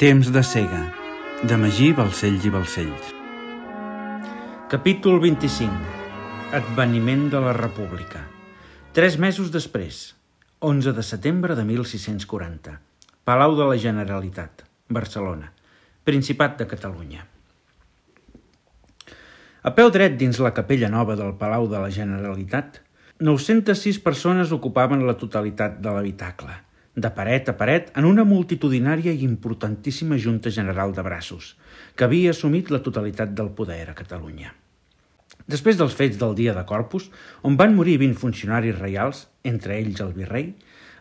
Temps de cega, de Magí Balcells i Balcells. Capítol 25. Adveniment de la República. 3 mesos després, 11 de setembre de 1640. Palau de la Generalitat, Barcelona, Principat de Catalunya. A peu dret dins la capella nova del Palau de la Generalitat, 906 persones ocupaven la totalitat de l'habitacle, de paret a paret en una multitudinària i importantíssima Junta General de Braços, que havia assumit la totalitat del poder a Catalunya. Després dels fets del dia de Corpus, on van morir 20 funcionaris reials, entre ells el virrei,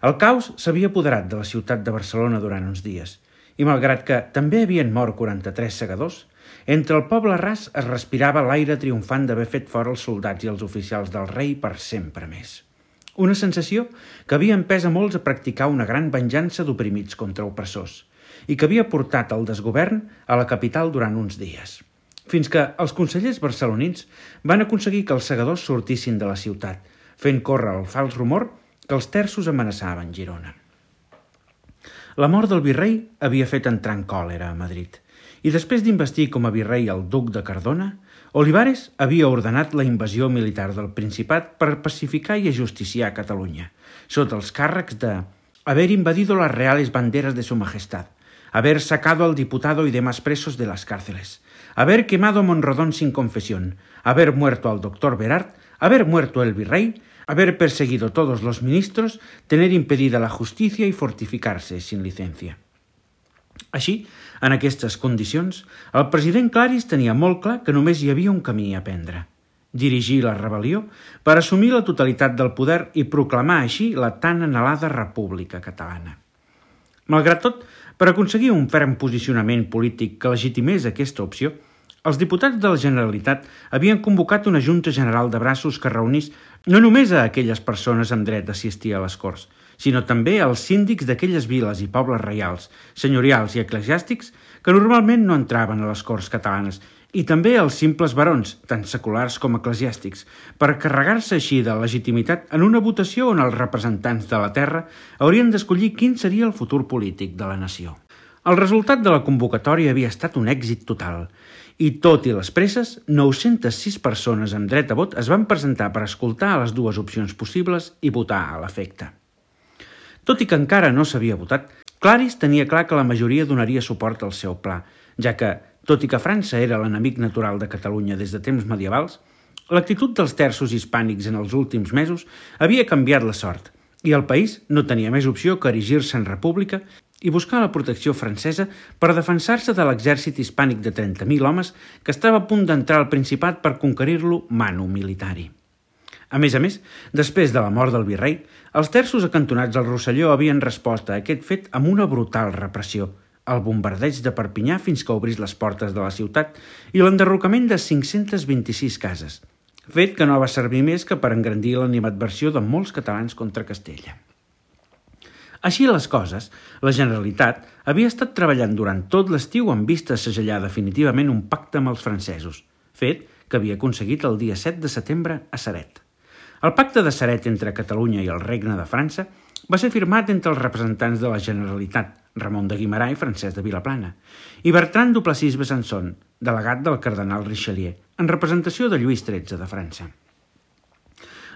el caos s'havia apoderat de la ciutat de Barcelona durant uns dies, i malgrat que també havien mort 43 segadors, entre el poble ras es respirava l'aire triomfant d'haver fet fora els soldats i els oficials del rei per sempre més. Una sensació que havia empès a molts a practicar una gran venjança d'oprimits contra opressors i que havia portat el desgovern a la capital durant uns dies, fins que els consellers barcelonins van aconseguir que els segadors sortissin de la ciutat, fent córrer el fals rumor que els terços amenaçaven Girona. La mort del virrei havia fet entrar en còlera a Madrid, i després d'investir com a virrei el duc de Cardona, Olivares havia ordenat la invasió militar del Principat per pacificar i ajusticiar Catalunya, sota els càrrecs de haber invadido las reales banderas de su majestad, haber sacado al diputado y demás presos de las cárceles, haber quemado Monrodón sin confesión, haber muerto al doctor Berard, haber muerto el virrey, haber perseguido todos los ministros, tener impedida la justicia y fortificarse sin licencia. Així, en aquestes condicions, el president Claris tenia molt clar que només hi havia un camí a prendre: dirigir la rebel·lió per assumir la totalitat del poder i proclamar així la tan anhelada República Catalana. Malgrat tot, per aconseguir un ferm posicionament polític que legitimés aquesta opció, els diputats de la Generalitat havien convocat una Junta General de Braços que reunís no només a aquelles persones amb dret d'assistir a les Corts, sinó també als síndics d'aquelles viles i pobles reials, senyorials i eclesiàstics que normalment no entraven a les Corts catalanes, i també als simples barons, tant seculars com eclesiàstics, per carregar-se així de legitimitat en una votació on els representants de la terra haurien d'escollir quin seria el futur polític de la nació. El resultat de la convocatòria havia estat un èxit total, i tot i les presses, 906 persones amb dret a vot es van presentar per escoltar les dues opcions possibles i votar a l'efecte. Tot i que encara no s'havia votat, Claris tenia clar que la majoria donaria suport al seu pla, ja que, tot i que França era l'enemic natural de Catalunya des de temps medievals, l'actitud dels terços hispànics en els últims mesos havia canviat la sort, i el país no tenia més opció que erigir-se en república i buscar la protecció francesa per defensar-se de l'exèrcit hispànic de 30.000 homes que estava a punt d'entrar al Principat per conquerir-lo manu militari. A més, després de la mort del virrei, els terços acantonats al Rosselló havien respost a aquest fet amb una brutal repressió, el bombardeig de Perpinyà fins que obrís les portes de la ciutat i l'enderrocament de 526 cases, fet que no va servir més que per engrandir l'animadversió de molts catalans contra Castella. Així les coses, la Generalitat havia estat treballant durant tot l'estiu amb vista a segellar definitivament un pacte amb els francesos, fet que havia aconseguit el dia 7 de setembre a Ceret. El pacte de Ceret entre Catalunya i el Regne de França va ser firmat entre els representants de la Generalitat, Ramon de Guimerà i Francesc de Vilaplana, i Bertran Duplessis Besançon, delegat del cardenal Richelieu, en representació de Lluís XIII de França.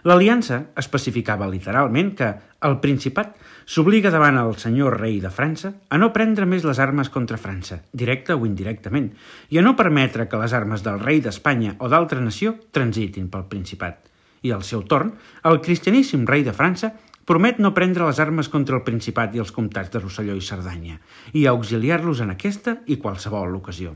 L'aliança especificava literalment que el Principat s'obliga davant el senyor rei de França a no prendre més les armes contra França, directa o indirectament, i a no permetre que les armes del rei d'Espanya o d'altra nació transitin pel Principat. I al seu torn, el cristianíssim rei de França promet no prendre les armes contra el Principat i els comtats de Rosselló i Cerdanya, i auxiliar-los en aquesta i qualsevol ocasió.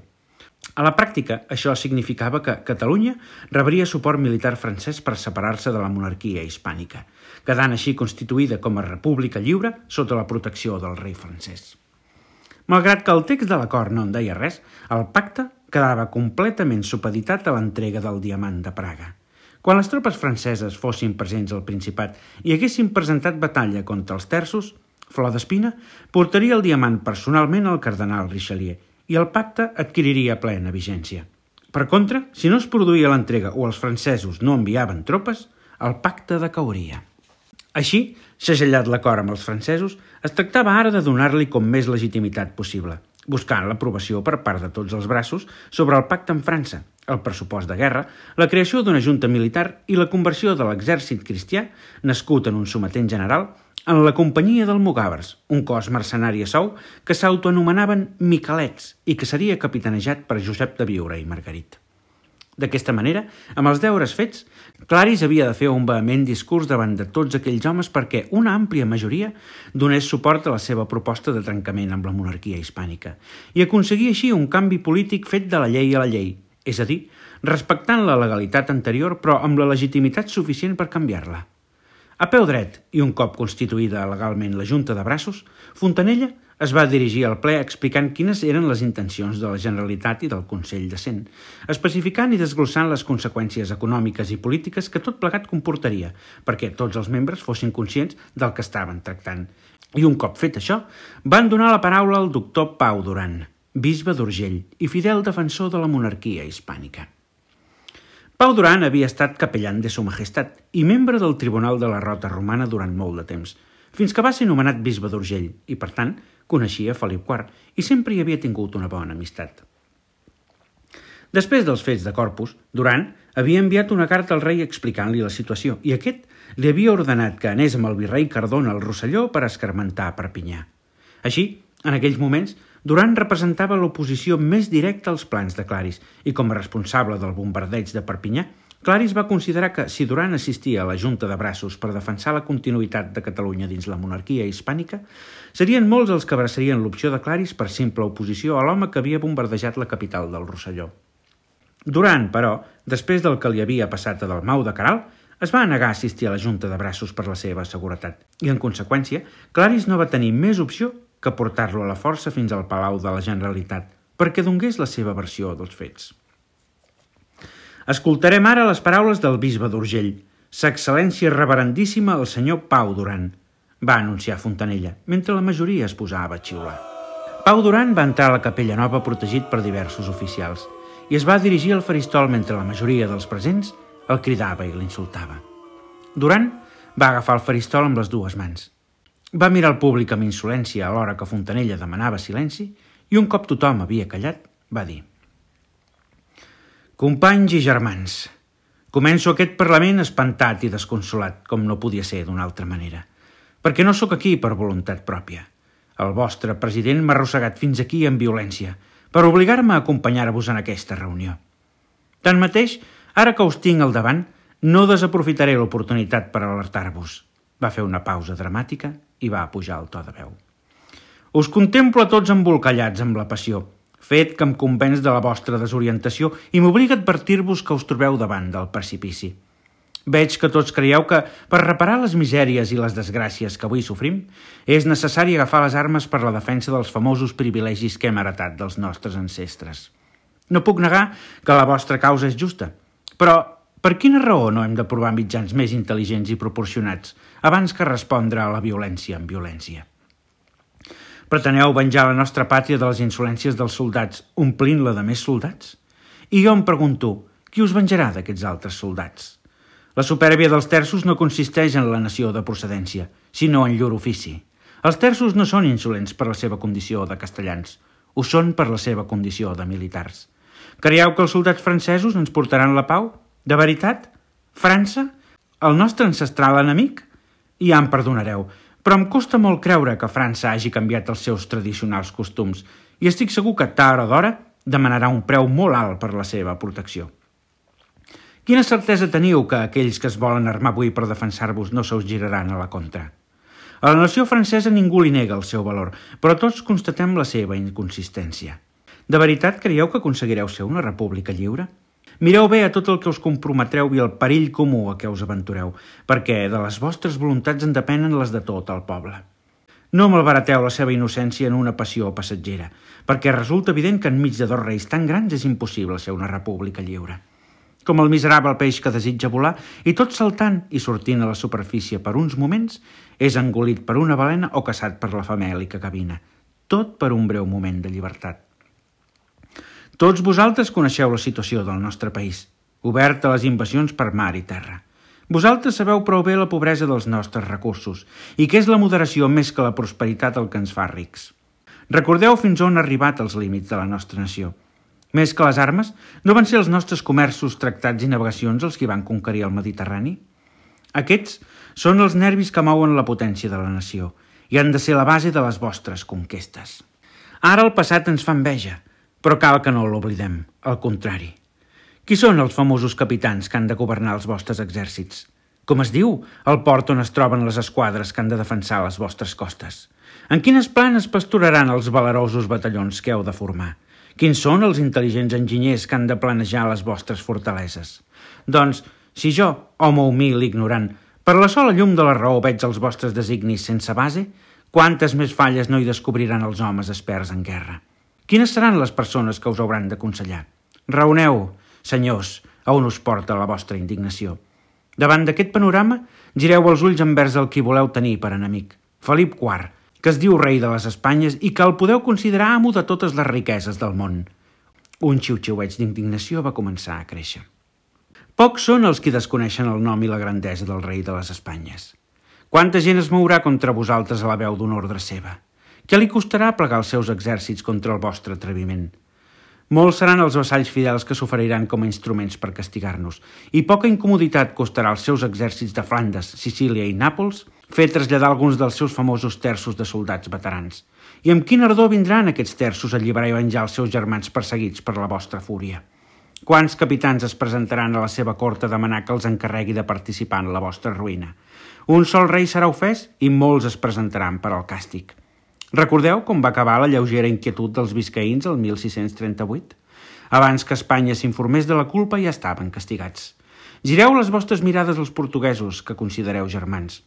A la pràctica, això significava que Catalunya rebria suport militar francès per separar-se de la monarquia hispànica, quedant així constituïda com a república lliure sota la protecció del rei francès. Malgrat que el text de l'acord no en deia res, el pacte quedava completament supeditat a l'entrega del diamant de Praga. Quan les tropes franceses fossin presents al Principat i haguessin presentat batalla contra els terços, Flor d'Espina portaria el diamant personalment al cardenal Richelieu i el pacte adquiriria plena vigència. Per contra, si no es produïa l'entrega o els francesos no enviaven tropes, el pacte decauria. Així, segellat l'acord amb els francesos, es tractava ara de donar-li com més legitimitat possible, buscant l'aprovació per part de tots els braços sobre el pacte amb França, el pressupost de guerra, la creació d'una junta militar i la conversió de l'exèrcit cristià, nascut en un sometent general, en la companyia d'almogàvers, un cos mercenari a sou que s'autoanomenaven Miquelets i que seria capitanejat per Josep de Biure i Margarit. D'aquesta manera, amb els deures fets, Claris havia de fer un vehement discurs davant de tots aquells homes perquè una àmplia majoria donés suport a la seva proposta de trencament amb la monarquia hispànica i aconseguir així un canvi polític fet de la llei a la llei, és a dir, respectant la legalitat anterior però amb la legitimitat suficient per canviar-la. A peu dret, i un cop constituïda legalment la Junta de Braços, Fontanella es va dirigir al ple explicant quines eren les intencions de la Generalitat i del Consell de Cent, especificant i desglossant les conseqüències econòmiques i polítiques que tot plegat comportaria, perquè tots els membres fossin conscients del que estaven tractant. I un cop fet això, van donar la paraula al doctor Pau Duran, bisbe d'Urgell i fidel defensor de la monarquia hispànica. Pau Duran havia estat capellan de Su Majestat i membre del Tribunal de la Rota Romana durant molt de temps, fins que va ser nomenat bisbe d'Urgell i, per tant, coneixia Felip IV i sempre hi havia tingut una bona amistat. Després dels fets de Corpus, Duran havia enviat una carta al rei explicant-li la situació i aquest li havia ordenat que anés amb el virrei Cardona al Rosselló per escarmentar Perpinyà. Així, en aquells moments, Duran representava l'oposició més directa als plans de Claris i com a responsable del bombardeig de Perpinyà, Claris va considerar que si Duran assistia a la Junta de Braços per defensar la continuïtat de Catalunya dins la monarquia hispànica, serien molts els que abraçarien l'opció de Claris per simple oposició a l'home que havia bombardejat la capital del Rosselló. Duran, però, després del que li havia passat a Dalmau de Queralt, es va negar a assistir a la Junta de Braços per la seva seguretat i, en conseqüència, Claris no va tenir més opció que portar-lo a la força fins al Palau de la Generalitat perquè donés la seva versió dels fets. Escoltarem ara les paraules del bisbe d'Urgell, Sa Excel·lència reverendíssima el senyor Pau Duran, va anunciar Fontanella, mentre la majoria es posava a xiular. Pau Duran va entrar a la capella nova protegit per diversos oficials i es va dirigir al faristol mentre la majoria dels presents el cridava i l'insultava. Duran va agafar el faristol amb les dues mans. Va mirar el públic amb insolència alhora que Fontanella demanava silenci i un cop tothom havia callat, va dir: «Companys i germans, començo aquest Parlament espantat i desconsolat, com no podia ser d'una altra manera, perquè no sóc aquí per voluntat pròpia. El vostre president m'ha arrossegat fins aquí en violència per obligar-me a acompanyar-vos en aquesta reunió. Tanmateix, ara que us tinc al davant, no desaprofitaré l'oportunitat per alertar-vos». Va fer una pausa dramàtica i va pujar el to de veu. «Us contemplo a tots embolcallats amb la passió, fet que em convenç de la vostra desorientació i m'obliga a advertir-vos que us trobeu davant del precipici. Veig que tots creieu que, per reparar les misèries i les desgràcies que avui sofrim, és necessari agafar les armes per la defensa dels famosos privilegis que hem heretat dels nostres ancestres. No puc negar que la vostra causa és justa, però per quina raó no hem de provar mitjans més intel·ligents i proporcionats abans que respondre a la violència amb violència? Preteneu venjar la nostra pàtria de les insolències dels soldats, omplint-la de més soldats? I jo em pregunto, qui us venjarà d'aquests altres soldats? La supèrbia dels terços no consisteix en la nació de procedència, sinó en llur ofici. Els terços no són insolents per la seva condició de castellans, ho són per la seva condició de militars. Creieu que els soldats francesos ens portaran la pau? De veritat? França? El nostre ancestral enemic? Ja em perdonareu, però em costa molt creure que França hagi canviat els seus tradicionals costums i estic segur que tard o d'hora demanarà un preu molt alt per la seva protecció. Quina certesa teniu que aquells que es volen armar avui per defensar-vos no se us giraran a la contra? A la nació francesa ningú li nega el seu valor, però tots constatem la seva inconsistència. De veritat creieu que aconseguireu ser una república lliure? Mireu bé a tot el que us comprometreu i el perill comú a què us aventureu, perquè de les vostres voluntats en depenen les de tot el poble. No malbarateu la seva innocència en una passió passatgera, perquè resulta evident que enmig de dos reis tan grans és impossible ser una república lliure. Com el miserable peix que desitja volar i tot saltant i sortint a la superfície per uns moments, és engolit per una balena o caçat per la famèlica cabina. Tot per un breu moment de llibertat. Tots vosaltres coneixeu la situació del nostre país, obert a les invasions per mar i terra. Vosaltres sabeu prou bé la pobresa dels nostres recursos i que és la moderació més que la prosperitat el que ens fa rics. Recordeu fins on han arribat els límits de la nostra nació. Més que les armes, no van ser els nostres comerços, tractats i navegacions els que van conquerir el Mediterrani? Aquests són els nervis que mouen la potència de la nació i han de ser la base de les vostres conquestes. Ara el passat ens fa enveja, però cal que no l'oblidem, al contrari. Qui són els famosos capitans que han de governar els vostres exèrcits? Com es diu el port on es troben les esquadres que han de defensar les vostres costes? En quines planes pasturaran els valerosos batallons que heu de formar? Quins són els intel·ligents enginyers que han de planejar les vostres fortaleses? Doncs, si jo, home humil i ignorant, per la sola llum de la raó veig els vostres designis sense base, quantes més falles no hi descobriran els homes experts en guerra? Quines seran les persones que us hauran d'aconsellar? Raoneu, senyors, a on us porta la vostra indignació. Davant d'aquest panorama, gireu els ulls envers el qui voleu tenir per enemic, Felip IV, que es diu rei de les Espanyes i que el podeu considerar amo de totes les riqueses del món. Un xiu-xiueig d'indignació va començar a créixer. Pocs són els qui desconeixen el nom i la grandesa del rei de les Espanyes. Quanta gent es mourà contra vosaltres a la veu d'una ordre seva? Què li costarà plegar els seus exèrcits contra el vostre atreviment? Molts seran els vassalls fidels que s'oferiran com a instruments per castigar-nos, i poca incomoditat costarà als seus exèrcits de Flandes, Sicília i Nàpols fer traslladar alguns dels seus famosos terços de soldats veterans. I amb quin ardor vindran aquests terços a alliberar i venjar els seus germans perseguits per la vostra fúria? Quants capitans es presentaran a la seva cort a demanar que els encarregui de participar en la vostra ruïna? Un sol rei serà ofès i molts es presentaran per al càstig. Recordeu com va acabar la lleugera inquietud dels biscaïns el 1638? Abans que Espanya s'informés de la culpa ja estaven castigats. Gireu les vostres mirades als portuguesos, que considereu germans.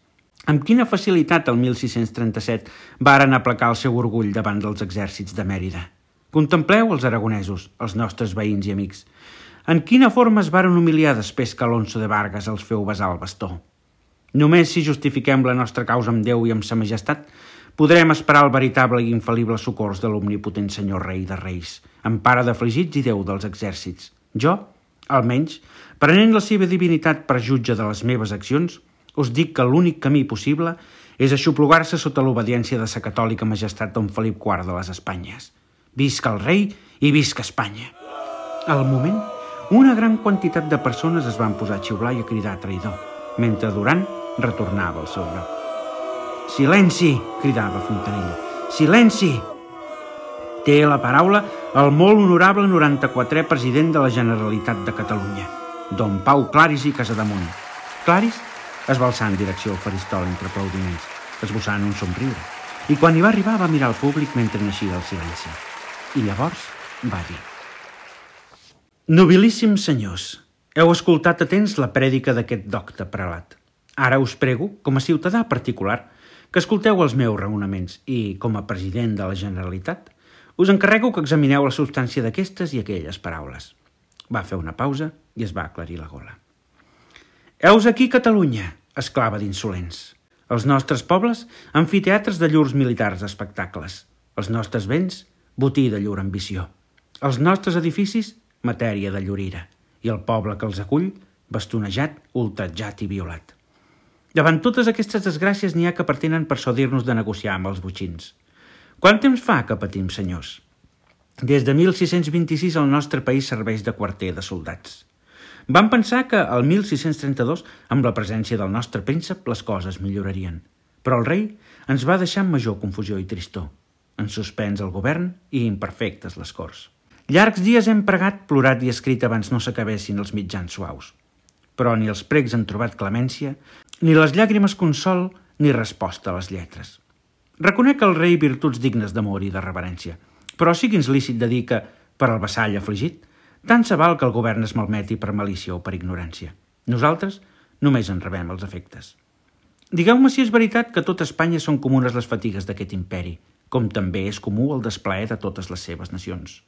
Amb quina facilitat el 1637 varen aplacar el seu orgull davant dels exèrcits de Mèrida? Contempleu els aragonesos, els nostres veïns i amics. En quina forma es varen humiliar després que Alonso de Vargas els feu besar el bastó? Només si justifiquem la nostra causa amb Déu i amb sa majestat, podrem esperar el veritable i infal·lible socors de l'omnipotent senyor rei de reis, empare d'afligits i Déu dels exèrcits. Jo, almenys, prenent la seva divinitat per jutge de les meves accions, us dic que l'únic camí possible és aixoplugar-se sota l'obediència de sa catòlica majestat don Felip IV de les Espanyes. Visca el rei i visca Espanya! Al moment, una gran quantitat de persones es van posar a xiular i a cridar traïdor, mentre Duran retornava al seu lloc. «Silenci!» cridava Fontanella. «Silenci!» Té la paraula el molt honorable 94è president de la Generalitat de Catalunya, don Pau Claris i Casademont. Claris es va alçar en direcció al faristol entre aplaudiments, esbossant un somriure, i quan hi va arribar va mirar al públic mentre naixia el silenci. I llavors va dir: «Nobilíssims senyors, heu escoltat atents la prèdica d'aquest docte prelat. Ara us prego, com a ciutadà particular, que escolteu els meus raonaments i, com a president de la Generalitat, us encarrego que examineu la substància d'aquestes i aquelles paraules». Va fer una pausa i es va aclarir la gola. «Heus aquí Catalunya», exclava d'insolents. «Els nostres pobles, amfiteatres de llurs militars espectacles. Els nostres béns, botí de llur ambició. Els nostres edificis, matèria de llur ira. I el poble que els acull, bastonejat, ultratjat i violat. Davant totes aquestes desgràcies n'hi ha que pretenen persuadir-nos de negociar amb els botxins. Quant temps fa que patim, senyors? Des de 1626 el nostre país serveix de quarter de soldats. Vam pensar que el 1632, amb la presència del nostre príncep, les coses millorarien. Però el rei ens va deixar amb major confusió i tristor. En suspens el govern i imperfectes les corts. Llargs dies hem pregat, plorat i escrit abans no s'acabessin els mitjans suaus. Però ni els pregs han trobat clemència, ni les llàgrimes consol, ni resposta a les lletres. Reconec al rei virtuts dignes d'amor i de reverència, però sigui'ns lícit de dir que, per al vassall afligit, tant se val que el govern es malmeti per malícia o per ignorància. Nosaltres només en rebem els efectes. Digueu-me si és veritat que a tot Espanya són comunes les fatigues d'aquest imperi, com també és comú el desplaer de totes les seves nacions.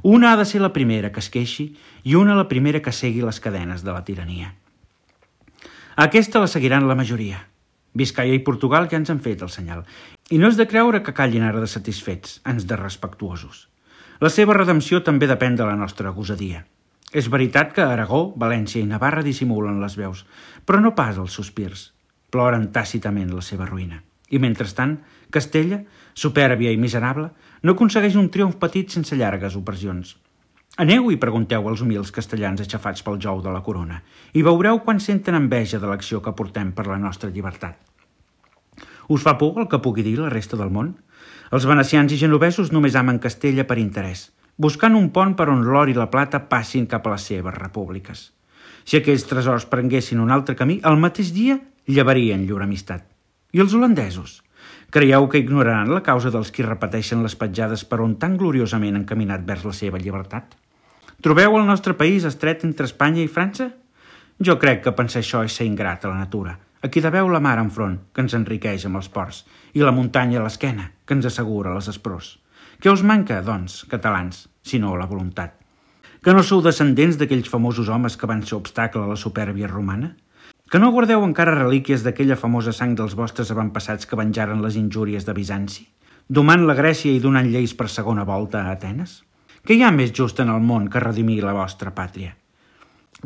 Una ha de ser la primera que es queixi i una la primera que segui les cadenes de la tirania. Aquesta la seguiran la majoria. Biscaia i Portugal ja ens han fet el senyal, i no és de creure que callin ara de satisfets, ans de respectuosos. La seva redempció també depèn de la nostra gosadia. És veritat que Aragó, València i Navarra dissimulen les veus, però no pas els sospirs. Ploren tàcitament la seva ruïna. I mentrestant, Castella supèrbia i miserable, no aconsegueix un triomf petit sense llargues opressions. Aneu i pregunteu als humils castellans aixafats pel jou de la corona i veureu quan senten enveja de l'acció que portem per la nostra llibertat. Us fa por el que pugui dir la resta del món? Els venecians i genovesos només amen Castella per interès, buscant un pont per on l'or i la plata passin cap a les seves repúbliques. Si aquells tresors prenguessin un altre camí, el mateix dia llevarien llur amistat. I els holandesos? Creieu que ignoraran la causa dels qui repeteixen les petjades per on tan gloriosament han caminat vers la seva llibertat? Trobeu el nostre país estret entre Espanya i França? Jo crec que pensar això és ser ingrat a la natura. Aquí deveu la mar enfront, que ens enriqueix amb els ports, i la muntanya a l'esquena, que ens assegura les esprors. Què us manca, doncs, catalans, si no la voluntat? Que no sou descendents d'aquells famosos homes que van ser obstacle a la supèrbia romana? Que no guardeu encara relíquies d'aquella famosa sang dels vostres avantpassats que venjaren les injúries de Bizanci, domant la Grècia i donant lleis per segona volta a Atenes? Què hi ha més just en el món que redimir la vostra pàtria?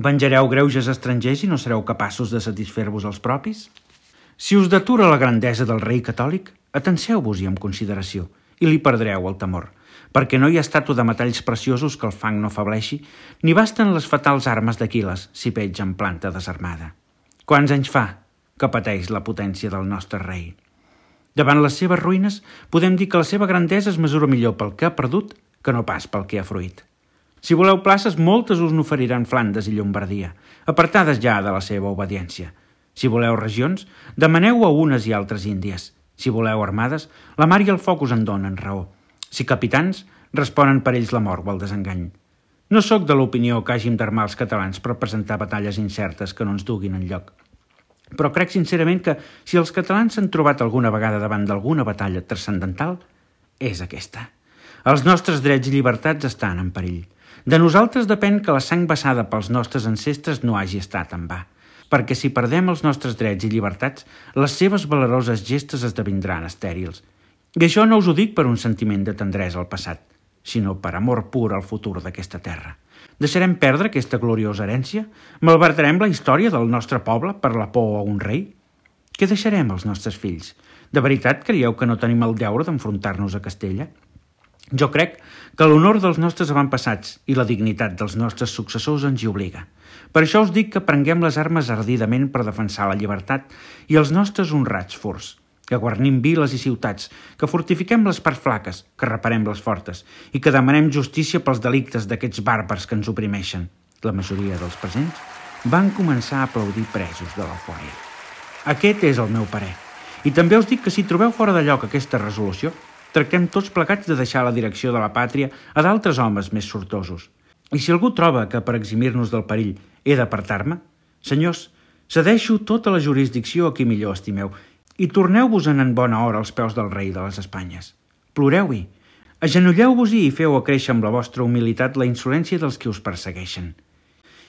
Venjareu greuges estrangers i no sereu capaços de satisfer-vos els propis? Si us detura la grandesa del rei catòlic, atenceu-vos-hi amb consideració i li perdreu el temor, perquè no hi ha estàtua de metalls preciosos que el fang no afableixi, ni basten les fatals armes d'Aquil·les si petja en planta desarmada. Quants anys fa que pateix la potència del nostre rei? Davant les seves ruïnes, podem dir que la seva grandesa es mesura millor pel que ha perdut que no pas pel que ha fruït. Si voleu places, moltes us n'oferiran Flandes i Llombardia, apartades ja de la seva obediència. Si voleu regions, demaneu a unes i altres índies. Si voleu armades, la mar i el foc us en donen raó. Si capitans, responen per ells la mort o el desengany. No sóc de l'opinió que hàgim d'armar els catalans per presentar batalles incertes que no ens duguin enlloc. Però crec sincerament que si els catalans s'han trobat alguna vegada davant d'alguna batalla transcendental, és aquesta. Els nostres drets i llibertats estan en perill. De nosaltres depèn que la sang vessada pels nostres ancestres no hagi estat en va, perquè si perdem els nostres drets i llibertats, les seves valeroses gestes esdevindran estèrils. I això no us ho dic per un sentiment de tendresa al passat, sinó per amor pur al futur d'aquesta terra. Deixarem perdre aquesta gloriosa herència? Malbaratarem la història del nostre poble per la por a un rei? Què deixarem als nostres fills? De veritat creieu que no tenim el deure d'enfrontar-nos a Castella? Jo crec que l'honor dels nostres avantpassats i la dignitat dels nostres successors ens hi obliga. Per això us dic que prenguem les armes ardidament per defensar la llibertat i els nostres honrats furs, que guarnim viles i ciutats, que fortifiquem les parts flaques, que reparem les fortes i que demanem justícia pels delictes d'aquests bàrbars que ens oprimeixen. La majoria dels presents van començar a aplaudir presos de l'eufòria. Aquest és el meu parer. I també us dic que si trobeu fora de lloc aquesta resolució, tractem tots plegats de deixar la direcció de la pàtria a d'altres homes més sortosos. I si algú troba que per eximir-nos del perill he d'apartar-me, senyors, cedeixo tota la jurisdicció a qui millor estimeu i torneu-vos-en en bona hora als peus del rei de les Espanyes. Ploreu-hi, agenolleu-vos-hi i feu acréixer amb la vostra humilitat la insolència dels qui us persegueixen.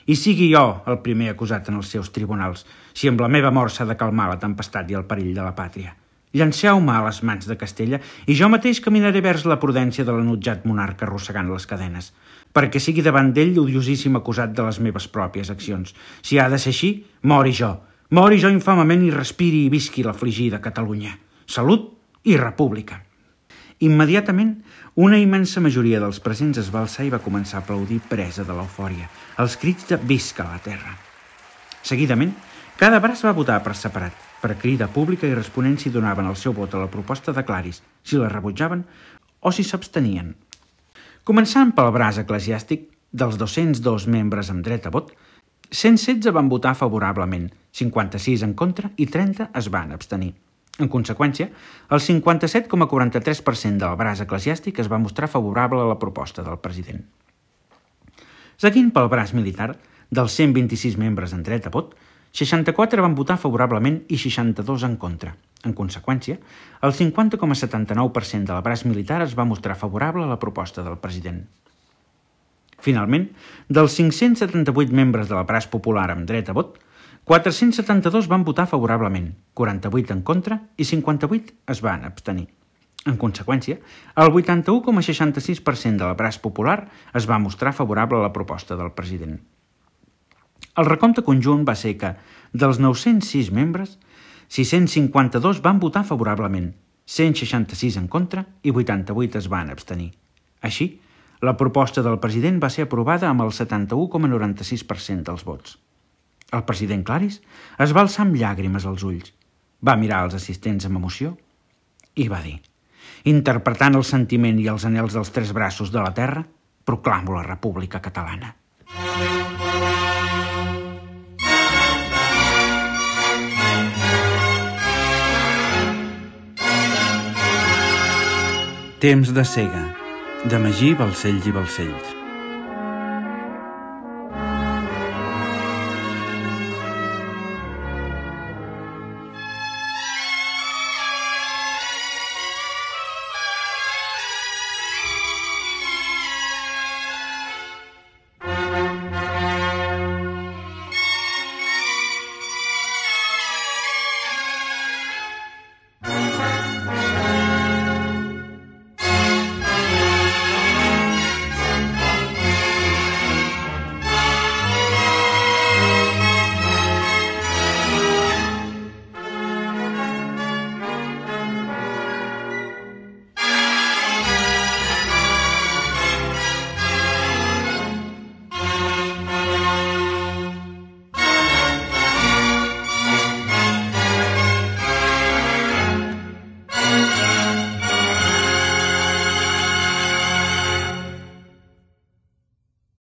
I sigui jo el primer acusat en els seus tribunals, si amb la meva mort s'ha de calmar la tempestat i el perill de la pàtria. Llanceu-me a les mans de Castella i jo mateix caminaré vers la prudència de l'enutjat monarca arrossegant les cadenes, perquè sigui davant d'ell l'odiosíssim acusat de les meves pròpies accions. Si ha de ser així, mori jo infamament i respiri i visqui l'afligida Catalunya. Salut i república. Immediatament, una immensa majoria dels presents es va alçar i va començar a aplaudir presa de l'eufòria, els crits de «Visca la terra!». Seguidament, cada braç va votar per separat, per crida pública i responent si donaven el seu vot a la proposta de Claris, si la rebutjaven o si s'abstenien. Començant pel braç eclesiàstic, dels 202 membres amb dret a vot, 116 van votar favorablement, 56 en contra i 30 es van abstenir. En conseqüència, el 57,43% del braç eclesiàstic es va mostrar favorable a la proposta del president. Seguint pel braç militar, dels 126 membres en dret a vot, 64 van votar favorablement i 62 en contra. En conseqüència, el 50,79% del braç militar es va mostrar favorable a la proposta del president. Finalment, dels 578 membres del braç popular amb dret a vot, 472 van votar favorablement, 48 en contra i 58 es van abstenir. En conseqüència, el 81,66% del braç popular es va mostrar favorable a la proposta del president. El recompte conjunt va ser que, dels 906 membres, 652 van votar favorablement, 166 en contra i 88 es van abstenir. Així, la proposta del president va ser aprovada amb el 71,96% dels vots. El president Claris es va alçar amb llàgrimes als ulls, va mirar els assistents amb emoció i va dir: interpretant el sentiment i els anhels dels tres braços de la terra, proclamo la República Catalana. Temps de cega, de Magí Balcells i Balcells.